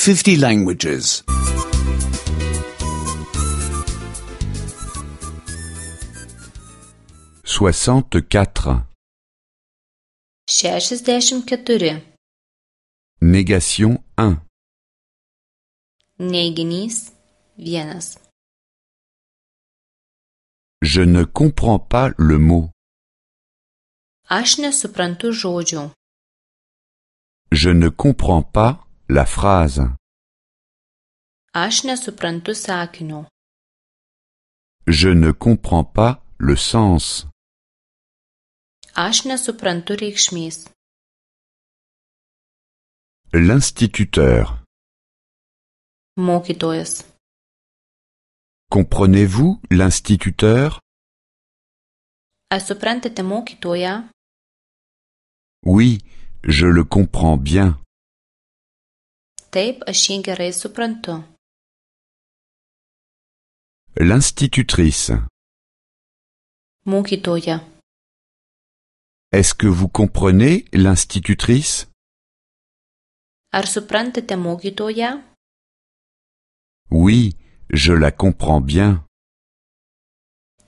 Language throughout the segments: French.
50 languages. 64. 64. Négation 1. Neiginys 1. Je ne comprends pas le mot. Aš nesuprantu žodžių. Je ne comprends pas la phrase. Aš nesuprantu sakinio. Je ne comprends pas le sens. Aš nesuprantu reikšmės. L'instituteur. Mokytojas. Comprenez-vous l'instituteur? Ar suprantate mokytoją? Oui, je le comprends bien. Taip, aš jį gerai suprantu. L'institutrice. Mokytoja. Est-ce que vous comprenez l'institutrice? Ar suprantate mokytoją? Oui, je la comprends bien.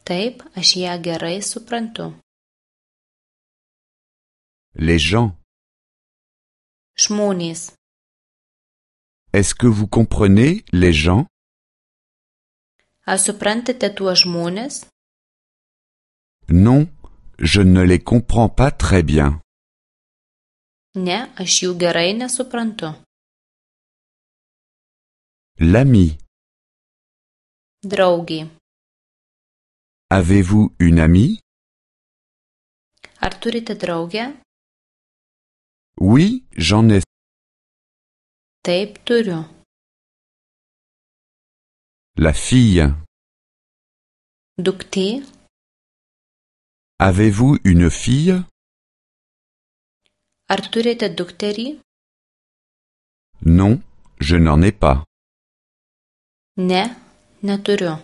Taip, aš ją gerai suprantu. Les gens. Žmonės. Est-ce que vous comprenez les gens? Ar suprantate tuos žmones? Non, je ne les comprends pas très bien. Ne, aš jų gerai nesuprantu. L'ami. Draugė. Avez-vous une amie? Ar turite draugę? Oui, j'en ai. Taip, turiu. La fille. Duktė. Avez-vous une fille? Ar turite dukterį? Non, je n'en ai pas. Ne, neturiu.